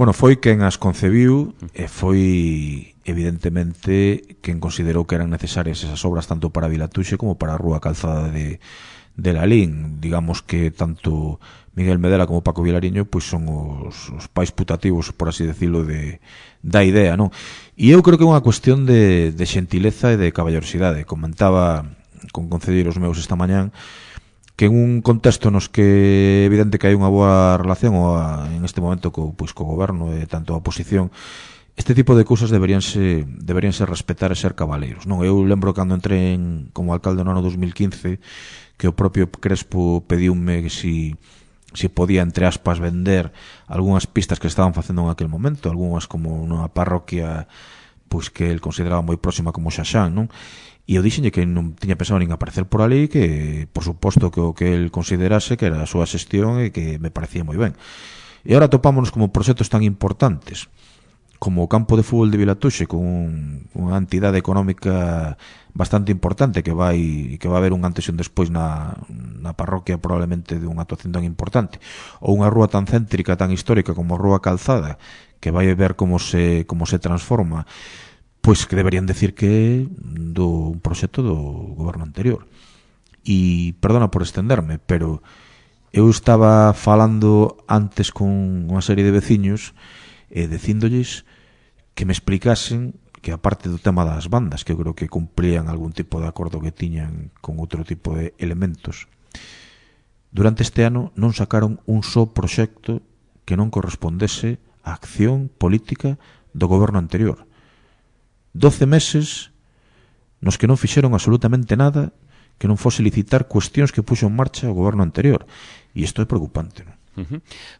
Bueno, foi quen as concebiu e foi evidentemente quen considerou que eran necesarias esas obras tanto para Vilatuxe como para a Rúa Calzada de Lalín. Digamos que tanto Miguel Medela como Paco Vilariño pois son os pais putativos, por así decirlo, da idea, non? E eu creo que é unha cuestión de xentileza e de caballerosidade. Comentaba con concelleiros meus esta mañán que en un contexto nos que é evidente que hai unha boa relación en este momento co goberno e tanto a oposición, este tipo de cousas deberían ser respetar e ser cabaleiros, non? Eu lembro cando entrei como alcalde no ano 2015 que o propio Crespo pediume que si podía, entre aspas, vender algunhas pistas que estaban facendo en aquel momento, algunhas como unha parroquia pois que el consideraba moi próxima como Xaxán, non? E eu dixenlle que non tiña pensado nin aparecer por ali, que por suposto que o que el considerase que era a súa xestión e que me parecía moi ben. E agora topámonos como proxectos tan importantes como o campo de fútbol de Vilatuxe, con unha entidade económica bastante importante que vai haber un antes e un despois na parroquia, probablemente de unha actuación tan importante, ou unha rúa tan céntrica, tan histórica como a Rúa Calzada, que vai ver como se transforma, pois que deberían decir que é un proxecto do goberno anterior. E perdona por estenderme, pero eu estaba falando antes con unha serie de veciños dicíndolles que me explicasen que aparte do tema das bandas, que eu creo que cumplían algún tipo de acordo que tiñan con outro tipo de elementos, durante este ano non sacaron un só proxecto que non correspondese á acción política do goberno anterior. 12 meses nos que non fixeron absolutamente nada que non fose licitar cuestións que puxo en marcha o goberno anterior. E isto é preocupante, non?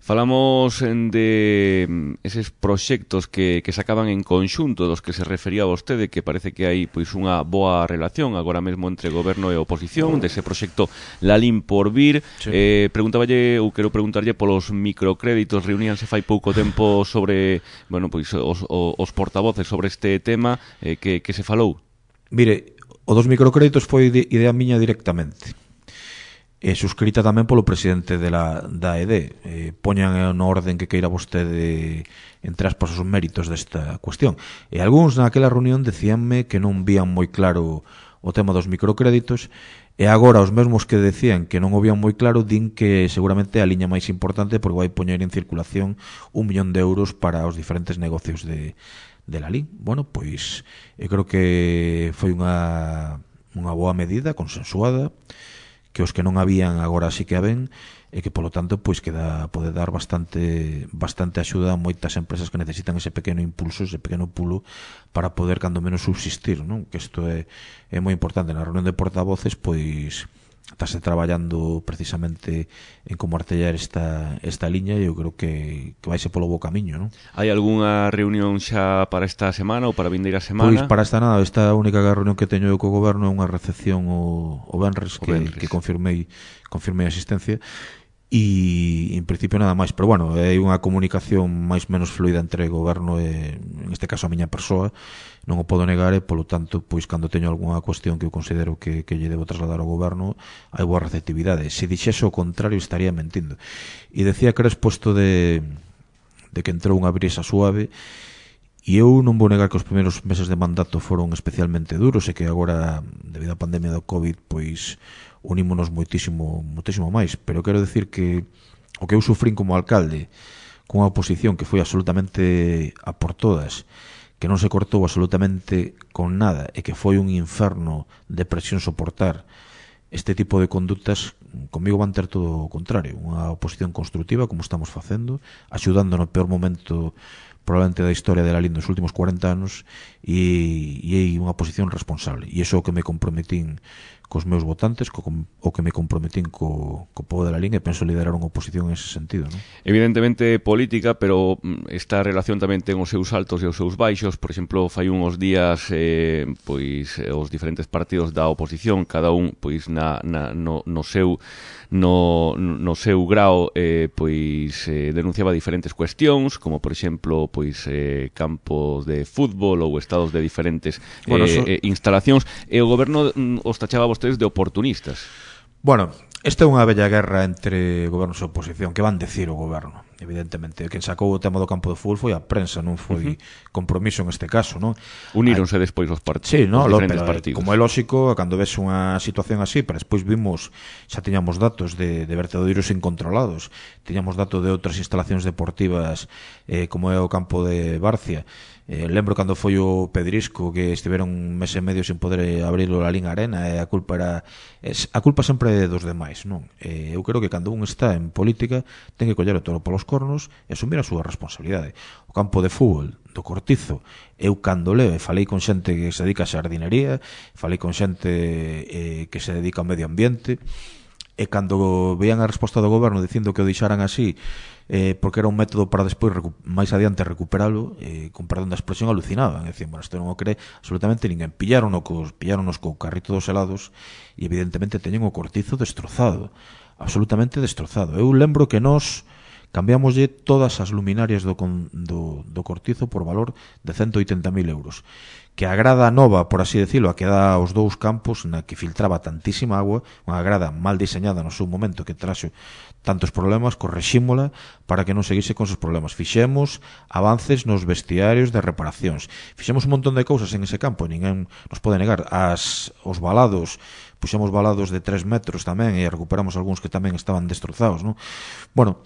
Falamos de eses proxectos que se acaban en conxunto, dos que se refería vostede, que parece que hai pois unha boa relación agora mesmo entre goberno e oposición, dese proxecto Lalín por vir. Sí. Quero preguntarlle polos microcréditos. Reuníanse fai pouco tempo sobre, bueno, pois os portavoces sobre este tema, que se falou. Mire, o dos microcréditos foi idea miña directamente. Suscrita tamén polo presidente da AED. Poñan no orden que queira vostede, entre aspas, os méritos desta cuestión. E algúns naquela reunión decíanme que non vían moi claro o tema dos microcréditos, e agora os mesmos que decían que non o vían moi claro din que seguramente a liña máis importante porque vai poñer en circulación 1 millón de euros para os diferentes negocios de Lalín. Bueno, pois eu creo que foi unha boa medida, consensuada, que os que non habían agora sí que a ven, e que polo tanto pois pode dar bastante axuda a moitas empresas que necesitan ese pequeno impulso, ese pequeno pulo para poder cando menos subsistir, non? Que isto é moi importante. Na reunión de portavoces pois estáse traballando precisamente en como artellar esta liña, e eu creo que vaise polo bo camiño, non? Hai algunha reunión xa para esta semana ou para a vindeira semana? Pois para esta nada, esta única reunión que teño co goberno é unha recepción o venres que confirmei a asistencia, e en principio nada máis, pero bueno, hai unha comunicación máis menos fluida entre o goberno e, en este caso, a miña persoa, non o podo negar, e polo tanto, pois cando teño algunha cuestión que eu considero que lle debo trasladar ao goberno, hai boa receptividade. Se dixese o contrario estaría mentindo. E decía que era exposto de que entrou unha brisa suave, e eu non vou negar que os primeiros meses de mandato foron especialmente duros, e que agora, debido á pandemia do COVID, pois unímonos moitísimo máis, pero quero decir que o que eu sufrín como alcalde cunha oposición que foi absolutamente a por todas, que non se cortou absolutamente con nada, e que foi un inferno de presión soportar este tipo de conductas, comigo van ter todo o contrario, unha oposición constructiva como estamos facendo, axudando no peor momento probablemente da historia de Lalín dos últimos 40 anos, e hai unha posición responsable, e iso é o que me comprometín cos meus votantes, o que me comprometín co povo de Lalín, e penso liderar unha oposición en ese sentido, non? Evidentemente política, pero esta relación tamén ten os seus altos e os seus baixos. Por exemplo, fai uns días pois os diferentes partidos da oposición, cada un pois no seu grao pois denunciaba diferentes cuestións, como por exemplo pois campos de fútbol ou estados de diferentes instalacións, e o goberno os tachaba vostedes de oportunistas. Bueno, esta é unha bella guerra entre gobernos e oposición. Que van decir o goberno? evidentemente. Quen sacou o tema do campo de fútbol foi a prensa, non foi Compromiso en este caso, non? Uníronse despois os partidos. Sí, no, os diferentes pero, partidos. como é lógico, cando ves unha situación así, pero despois vimos, xa tiñamos datos de vertedeiros incontrolados, tiñamos datos de outras instalacións deportivas, como é o campo de Barcia. Lembro cando foi o Pedrisco, que estiveron un mes e medio sin poder abrir a Lalín Arena, e a culpa sempre é dos demais, non? Eu creo que cando un está en política ten que coller o toro polos cornos e asumir a súa responsabilidade. O campo de fútbol do Cortizo, eu cando leo, e falei con xente que se dedica a xardinería, falei con xente que se dedica ao medio ambiente, e cando veían a resposta do goberno dicindo que o deixaran así porque era un método para despois máis adiante recuperalo, con perdón da expresión, alucinaban, e dicían, bueno, isto non o cree absolutamente ninguén. Pilláronos co carrito dos helados e evidentemente teñen o Cortizo destrozado, absolutamente destrozado. Eu lembro que nós cambiamoslle todas as luminarias do Cortizo por valor de 180.000 euros, que a grada nova, por así decirlo, a que dá aos dous campos, na que filtraba tantísima agua, unha grada mal diseñada no seu momento que traxo tantos problemas, correxímola para que non seguise con esos problemas. Fixemos avances nos vestiarios de reparacións, fixemos un montón de cousas en ese campo, ninguén nos pode negar. Os balados, puxemos balados de 3 metros tamén, e recuperamos algúns que tamén estaban destrozados, non? Bueno,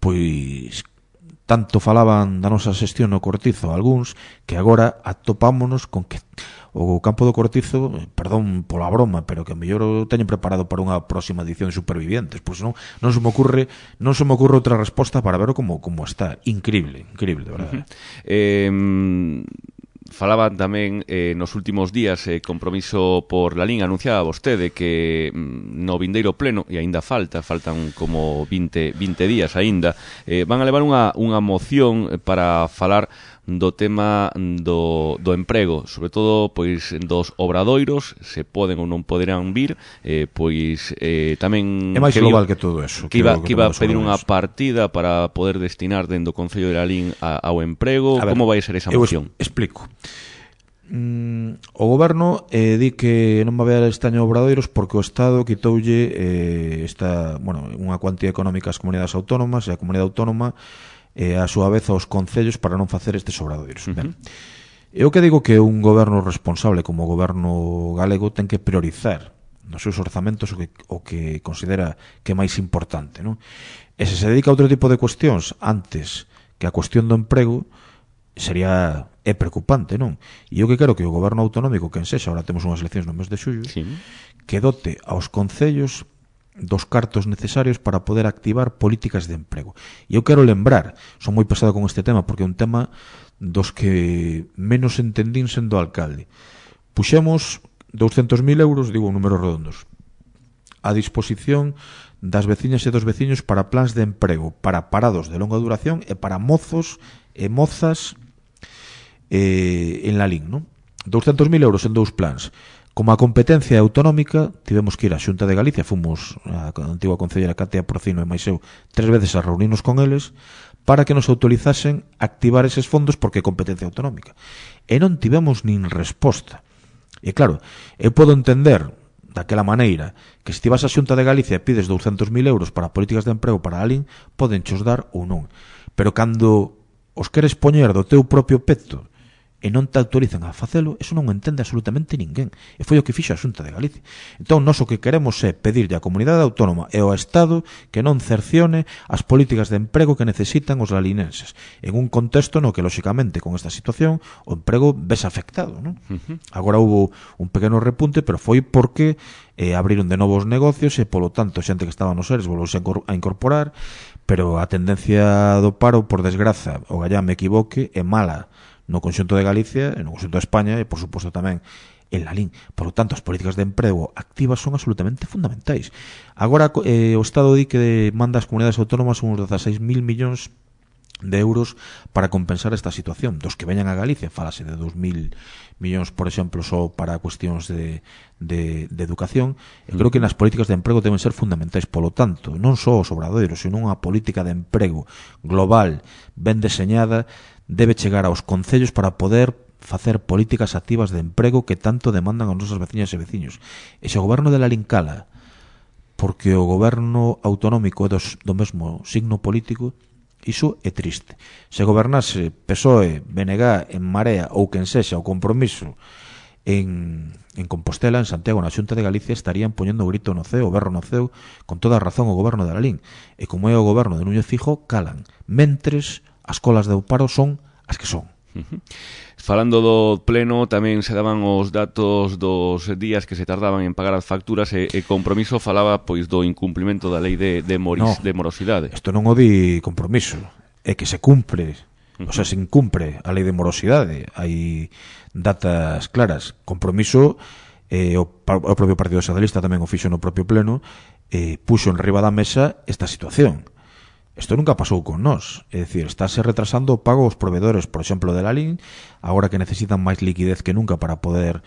pois tanto falaban da nosa xestión no Cortizo algúns, que agora atopámonos con que o campo do Cortizo, perdón pola broma, pero que mellor o teñen preparado para unha próxima edición de Supervivientes, pois non se me ocurre outra resposta para ver como está. Increíble, de verdade. Falaban tamén nos últimos días Compromiso por Lalín, anunciaba vostede que no vindeiro pleno, e aínda faltan como 20 días aínda, van a levar unha moción para falar do tema do emprego, sobre todo pois dos obradoiros, se poden ou non poderán vir, pois tamén é máis global que todo eso, que iba a pedir unha partida para poder destinar dentro do Concello de Lalín ao emprego. Como vai ser esa moción? Explico. O goberno di que non vai haber este año obradoiros porque o Estado quitoulle unha cuantía económica ás comunidades autónomas, e a comunidade autónoma a súa vez aos concellos para non facer estes obradoiros. Ben, eu que digo que un goberno responsable como o goberno galego ten que priorizar nos seus orzamentos o que considera que é máis importante, non? E se dedica a outro tipo de cuestións antes que a cuestión do emprego, é preocupante, non? E eu que quero que o goberno autonómico, quen sexa, ahora temos unhas eleccións no mes de xullo, sí, que dote aos concellos dos cartos necesarios para poder activar políticas de emprego. E eu quero lembrar, son moi pesado con este tema porque é un tema dos que menos entendín sendo alcalde. Puxemos 200.000 euros, digo números redondos, a disposición das veciñas e dos veciños para plans de emprego, para parados de longa duración e para mozos e mozas en Lalín, non? 200.000 euros en 2 plans. Como a competencia autonómica, tivemos que ir á Xunta de Galicia, fomos a antigua concellera Katia Porcino e máis eu 3 veces a reunirnos con eles para que nos autorizasen activar eses fondos porque é competencia autonómica. E non tivemos nin resposta. E claro, eu podo entender daquela maneira que se ti vas á Xunta de Galicia e pides 200.000 euros para políticas de emprego para Lalín, poden chos dar ou non. Pero cando os queres poñer do teu propio peto e non te autorizan a facelo, eso non o entende absolutamente ninguén. E foi o que fixo a Xunta de Galicia. Entón, nós o que queremos é pedirlle á comunidade autónoma e ao Estado que non cercione as políticas de emprego que necesitan os lalinenses, en un contexto no que, lóxicamente, con esta situación, o emprego ves afectado, non? Agora hubo un pequeno repunte, pero foi porque abriron de novos negocios e, polo tanto, xente que estaba nos seres volvouse a incorporar, pero a tendencia do paro, por desgraza, o gallá me equivoque, é mala no conxunto de Galicia, no conxunto de España e, por suposto, tamén en Lalín. Por lo tanto, as políticas de emprego activas son absolutamente fundamentais. Agora, o Estado di que manda ás comunidades autónomas uns 16.000 millóns de euros para compensar esta situación. Dos que veñan a Galicia, falase de 2.000 millóns, por exemplo, só para cuestións de educación. Eu creo que nas políticas de emprego deben ser fundamentais. Polo tanto, non só os obradoiros, sino unha política de emprego global, ben deseñada, debe chegar aos concellos para poder facer políticas activas de emprego que tanto demandan as nosas veciñas e veciños. E se o goberno de Lalín cala porque o goberno autonómico é do mesmo signo político, Iso é triste. Se gobernase PSOE, BNG, En Marea ou quen sexa o Compromiso en Compostela, en Santiago, na Xunta de Galicia, estarían poñendo o grito no ceo, o berro no ceo, con toda a razón o goberno de Lalín. E como é o goberno de Núñez Fijo, calan. Mentres, as colas de paro son as que son. Falando do pleno, tamén se daban os datos dos días que se tardaban en pagar as facturas e Compromiso falaba pois do incumplimento da lei de morosidade. Isto non o di Compromiso, é que se cumpre, o sea, se incumpre a lei de morosidade. Hai datas claras. Compromiso, o propio Partido Socialista tamén o fixo no propio pleno, puxo en riba da mesa esta situación. Isto nunca pasou con nós, é dicir, estáse retrasando o pago aos proveedores, por exemplo, de Lalín, agora que necesitan máis liquidez que nunca para poder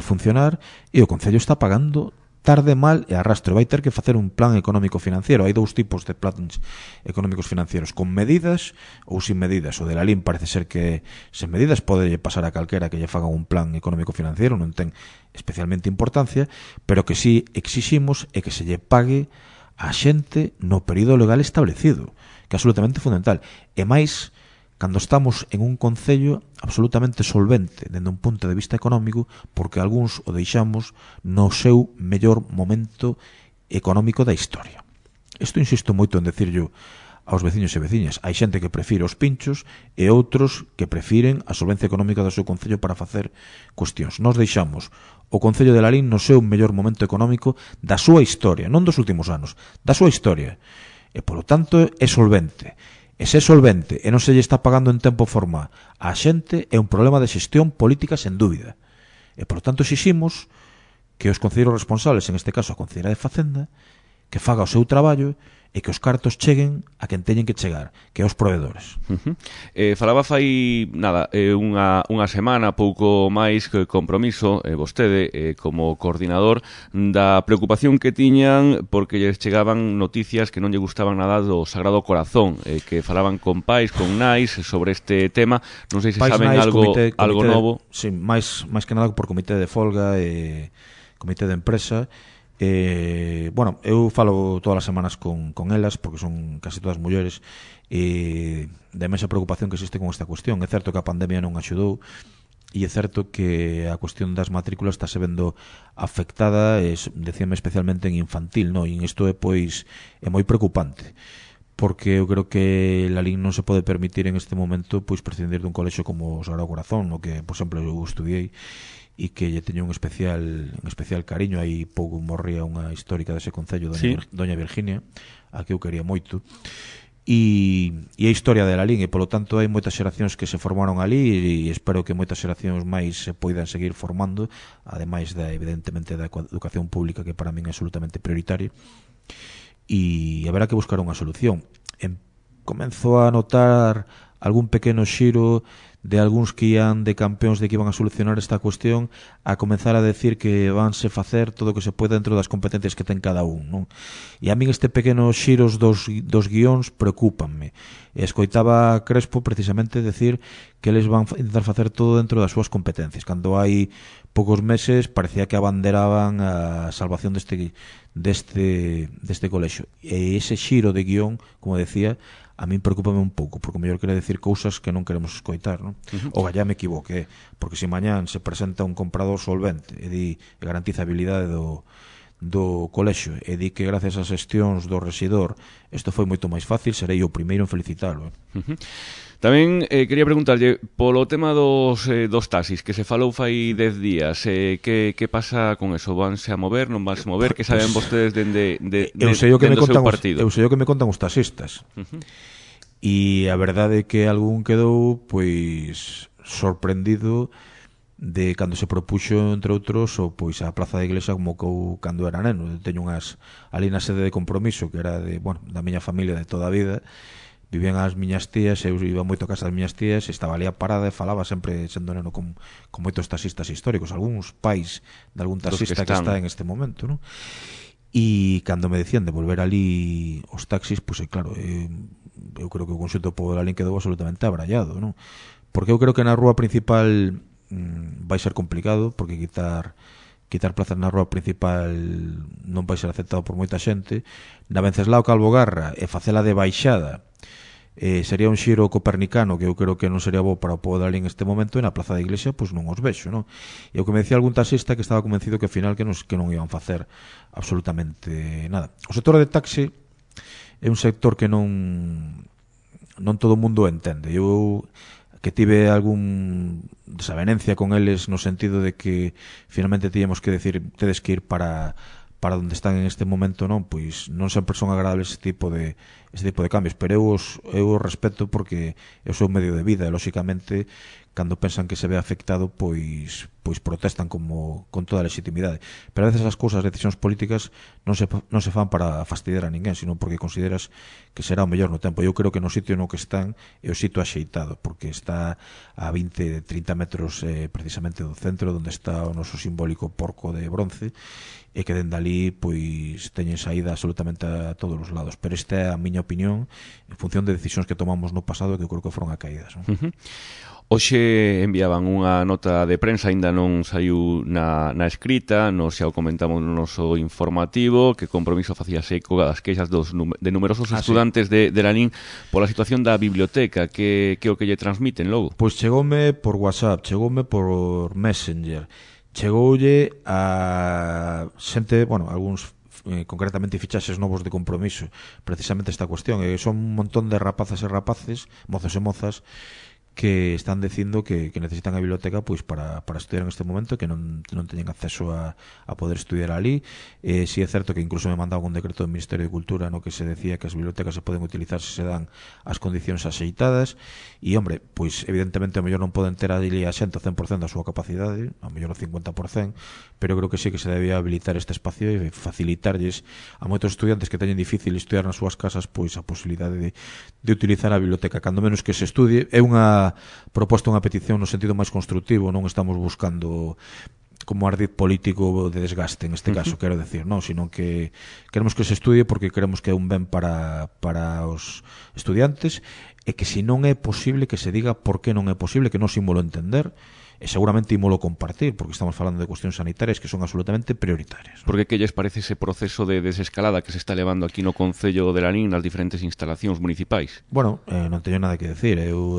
funcionar, e o Concello está pagando tarde, mal e arrastre. Vai ter que facer un plan económico financiero. Hai dous tipos de plans económicos financieros, con medidas ou sin medidas. O de Lalín parece ser que sen medidas pode pasar a calquera que lle fagan un plan económico financiero, non ten especialmente importancia, pero que sí exiximos é que se lle pague a xente no período legal establecido, que é absolutamente fundamental. E máis, cando estamos en un concello absolutamente solvente dende un punto de vista económico, porque algúns o deixamos no seu mellor momento económico da historia. Isto insisto moito en decirlo aos veciños e veciñas. Hai xente que prefire os pinchos e outros que prefiren a solvencia económica do seu concello para facer cuestións. Nos deixamos o Concello de Lalín no seu mellor momento económico da súa historia, non dos últimos anos, da súa historia. E, polo tanto, é solvente. E se é solvente e non se lle está pagando en tempo forma a xente, é un problema de xestión política sen dúbida. E, polo tanto, exiximos que os concelleiros responsables, en este caso a Concelleira de Facenda, que faga o seu traballo e que os cartos cheguen a quen teñen que chegar, que é os proveedores. Falaba fai unha semana, pouco máis, que Compromiso, vostede, como coordinador, da preocupación que tiñan porque lles chegaban noticias que non lle gustaban nada do Sagrado Corazón, que falaban con pais, con nais, sobre este tema. Non sei se pais, saben nais, algo novo. Sí, máis que nada por comité de folga e comité de empresa. Bueno, eu falo todas as semanas con elas, porque son casi todas mulleres, e da imensa preocupación que existe con esta cuestión. É certo que a pandemia non axudou, e é certo que a cuestión das matrículas está se vendo afectada, decíame especialmente en infantil, no? E isto é pois é moi preocupante, porque eu creo que Lalín non se pode permitir en este momento pois prescindir dun colexio como o Sagrado Corazón, no que, por exemplo, eu estudiei e que lle teño un especial cariño. Aí pouco morría unha histórica dese concello, doña Virginia, a que eu quería moito, e a historia de Lalín, e polo tanto hai moitas xeracións que se formaron ali, e espero que moitas xeracións máis se poidan seguir formando, ademais evidentemente da educación pública, que para min é absolutamente prioritaria, e haberá que buscar unha solución. Comenzo a notar algún pequeno xiro de algúns que ian de campeóns de que iban a solucionar esta cuestión a comenzar a decir que vanse facer todo o que se pode dentro das competencias que ten cada un, non? E a min este pequeno xiros dos guións preocúpanme. Escoitaba a Crespo precisamente decir que eles van intentar facer todo dentro das súas competencias, cando hai poucos meses parecía que abanderaban a salvación deste colexio. E ese xiro de guión, como decía, a min preocúpame un pouco, porque o mellor quere decir cousas que non queremos escoitar, non? O gallá me equivoque, porque se mañán se presenta un comprador solvente e garantiza a habilidade do colexio e di que gracias ás xestións do rexidor isto foi moito máis fácil, serei o primeiro en felicitalo. Tamén quería preguntarlle polo tema dos taxis, que se falou fai 10 días, que pasa con eso? Vanse a mover, non vanse a mover? Que saben vostedes dende o seu partido? Eu sei o que me contan os taxistas, e a verdade é que algún quedou pois sorprendido de cando se propuxo, entre outros, o pois a Praza da Iglesia, como cando era neno. Eu teño unhas ali na sede de Compromiso, que era da miña familia de toda a vida. Vivían as miñas tías, eu iba moito a casa das miñas tías, estaba ali a parada e falaba sempre, sendo neno, con moitos taxistas históricos, algúns pais de algún taxista que está en este momento, non? E cando me decían de volver ali os taxis, pois claro, eu creo que o conxunto do pobo de Lalín quedou absolutamente abrallado, non? Porque eu creo que na rúa principal vai ser complicado, porque quitar plazas na rúa principal non vai ser aceptado por moita xente. Na Venceslao Calvo Garra e facela de baixada sería un xiro copernicano que eu creo que non sería bo para o povo de ali en este momento, e na Plaza da Iglesia pois non os vexo, non? E o que me decía algún taxista que estaba convencido que ao final que non iban facer absolutamente nada. O sector de taxi é un sector que non todo o mundo entende. Eu que tive algún desavenencia con eles no sentido de que finalmente tíamos que decir tedes que ir para onde están en este momento, non, pois non sempre son agradables ese tipo de cambios, pero eu os respeto porque é o seu medio de vida e lóxicamente cando pensan que se ve afectado pois protestan con toda a legitimidade, pero a veces as cousas, as decisións políticas non se fan para fastidiar a ninguén, sino porque consideras que será o mellor no tempo. Eu creo que no sitio no que están é o sitio axeitado, porque está a 20-30 metros precisamente do centro onde está o noso simbólico porco de bronce, e que dende ali pois teñen saída absolutamente a todos os lados, pero esta é a miña opinión en función de decisións que tomamos no pasado que eu creo que foron acaídas, non? Hoxe enviaban unha nota de prensa, aínda non saiu na escrita, nos xa o comentamos no noso informativo, que Compromiso facía eco das queixas de numerosos estudantes de Lalín pola situación da biblioteca. Que o que lle transmiten logo? Pois chegoume por WhatsApp, chegoume por Messenger, chegoulle a xente, bueno, algúns concretamente fichaxes novos de Compromiso, precisamente esta cuestión, son un montón de rapazas e rapaces, mozos e mozas, que están dicindo que necesitan a biblioteca pois para estudiar en este momento, que non teñen acceso a poder estudiar ali. Si é certo que incluso me mandaba un decreto do Ministerio de Cultura no que se decía que as bibliotecas se poden utilizar se dan as condicións axeitadas, e, hombre, pois evidentemente a mellor non poden ter ali a xente ao 100% da súa capacidade, a mellor o 50%, pero creo que sí que se debía habilitar este espacio e facilitarlles a moitos estudiantes que teñen difícil estudiar nas súas casas pois a posibilidade de utilizar a biblioteca, cando menos que se estudie. É unha proposta, unha petición no sentido máis constructivo, non estamos buscando como ardid político de desgaste en este caso, quero decir, non, sino que queremos que se estudie porque queremos que é un ben para os estudiantes, e que se non é posible que se diga por que non é posible, que non se ímolo entender, e seguramente ímolo compartir, porque estamos falando de cuestións sanitarias que son absolutamente prioritarias, ¿no? Porque que lles parece ese proceso de desescalada que se está levando aquí no Concello de Lalín nas diferentes instalacións municipais? Bueno, non teño nada que decir. Eu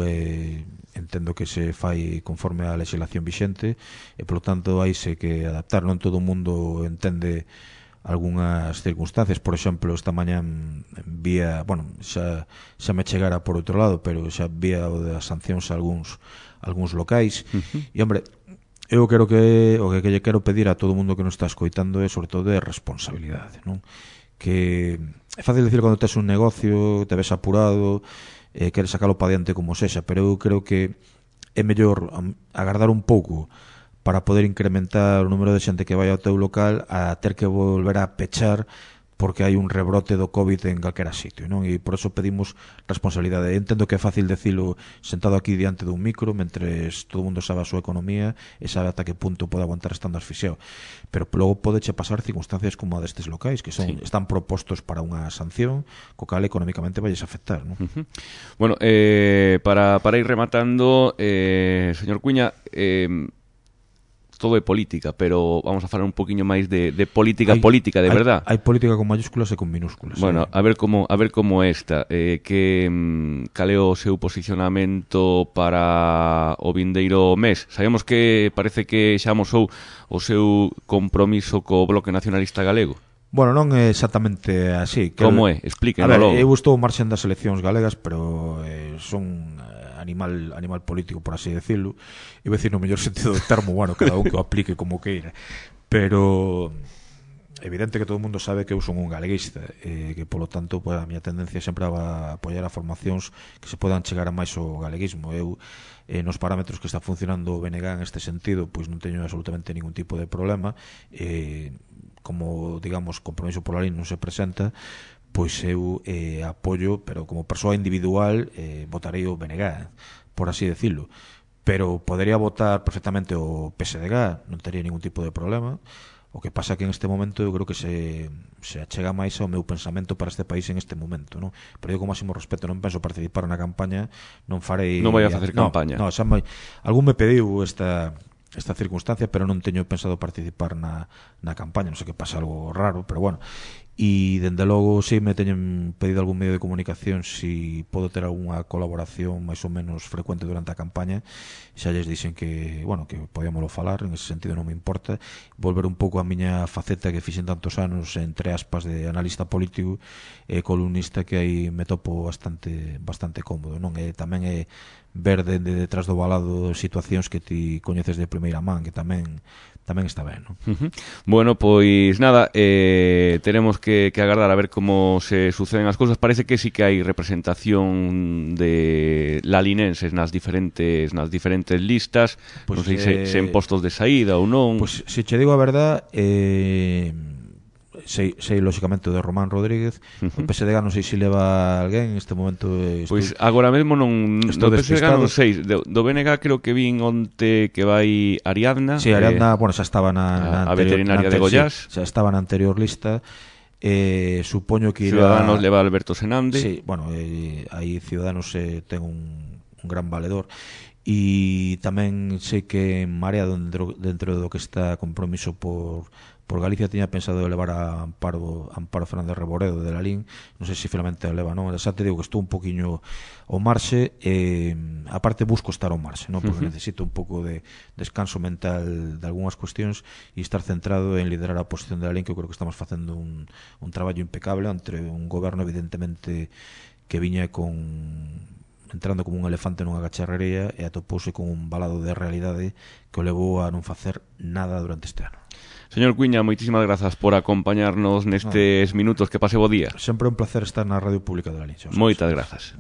entendo que se fai conforme á legislación vixente e, polo tanto, haise que adaptar. Non todo o mundo entende algunhas circunstancias. Por exemplo, esta mañá vía, bueno, xa me chegara por outro lado, pero xa vía o das sancións a algúns locais. E, hombre, eu creo que o que lle quero pedir a todo o mundo que nos está escoitando é, sobre todo, de responsabilidade, non? Que é fácil decir cando tes un negocio, te ves apurado, queres sacalo para diante como sexa, pero eu creo que é mellor agardar un pouco para poder incrementar o número de xente que vai ao teu local a ter que volver a pechar porque hai un rebrote do COVID en calquera sitio, non? E por eso pedimos responsabilidade. Entendo que é fácil decilo sentado aquí diante dun micro, mentres todo o mundo sabe a súa economía e sabe ata que punto pode aguantar estando asfixiado. Pero logo podeche pasar circunstancias como a destes locais, que están propostos para unha sanción, co cal económicamente valles afectar, non? Bueno, para ir rematando, señor Cuña, todo é política, pero vamos a falar un poquinho máis de política de verdad. Hai política con mayúsculas e con minúsculas. Bueno, a ver como esta, cal é o seu posicionamento para o vindeiro mes. Sabemos que parece que xa amosou o seu compromiso co Bloque Nacionalista Galego. Bueno, non é exactamente así. Como é? Explíquenos. A ver, eu estou marxen das eleccións galegas, pero son animal político, por así decirlo. Iba a decir no mellor sentido do termo, bueno, cada un que o aplique como queira. Pero evidente que todo o mundo sabe que eu son un galeguista, que polo tanto pues, a miña tendencia sempre va a apoiar a formacións que se podan chegar a máis o galeguismo. Eu nos parámetros que está funcionando o BNG en este sentido, pois non teño absolutamente ningún tipo de problema. Como, digamos, Compromiso por Lalín non se presenta, pois eu apoio, pero como persoa individual votarei o BNG, por así decirlo, pero podería votar perfectamente o PSDG, non tería ningún tipo de problema. O que pasa que en este momento eu creo que se achega máis ao meu pensamento para este país en este momento, non? Pero eu con máximo respeto non penso participar na campaña, non farei... Non vai a facer campaña. No, xa algún me pediu esta circunstancia, pero non teño pensado participar na campaña, non sei que pasa algo raro, pero bueno. e dende logo si me teñen pedido algún medio de comunicación si podo ter algunha colaboración máis ou menos frecuente durante a campaña. Xa lles dixen que, bueno, que podíamoslo falar, en ese sentido non me importa. Volver un pouco a miña faceta que fixen tantos anos, entre aspas, de analista político e columnista, que aí me topo bastante cómodo, non? E tamén é ver dende detrás do balado situacións que ti coñeces de primeira man, que tamén está ben, non? Bueno, pois nada, teremos que agardar a ver como se suceden as cousas. Parece que sí que hai representación de lalinenses nas diferentes listas, pues, non sei se en postos de saída ou non. Pois se che digo a verdad, sei lógicamente o de Román Rodríguez. O PSDG non sei se leva alguén en este momento. Pois agora mesmo non, do PSDG non sei, do BNG creo que vin onte que vai Ariadna. Si, Ariadna, bueno, xa estaba na a veterinaria de Goiás. Xa estaba na anterior lista. Supoño que Ciudadanos leva Alberto Senande. Sí, bueno, aí Ciudadanos ten un gran valedor. E tamén sei que en Marea, dentro do que está compromiso por Galicia, tiña pensado levar a Amparo Fernández Reboredo de Lalín. Non sei se finalmente a leva, non? Xa te digo que estou un poquinho ao marxe, aparte busco estar ao marxe, non? Porque necesito un pouco de descanso mental de algunhas cuestións e estar centrado en liderar a oposición de Lalín, que eu creo que estamos facendo un traballo impecable entre un goberno evidentemente que viña entrando como un elefante nunha cacharrería e atopouse con un balado de realidade que o levou a non facer nada durante este ano. Señor Cuíña, moitísimas grazas por acompañarnos nestes minutos. Que pase bo día. Sempre un placer estar na Radio Pública de Lalín. Moitas grazas.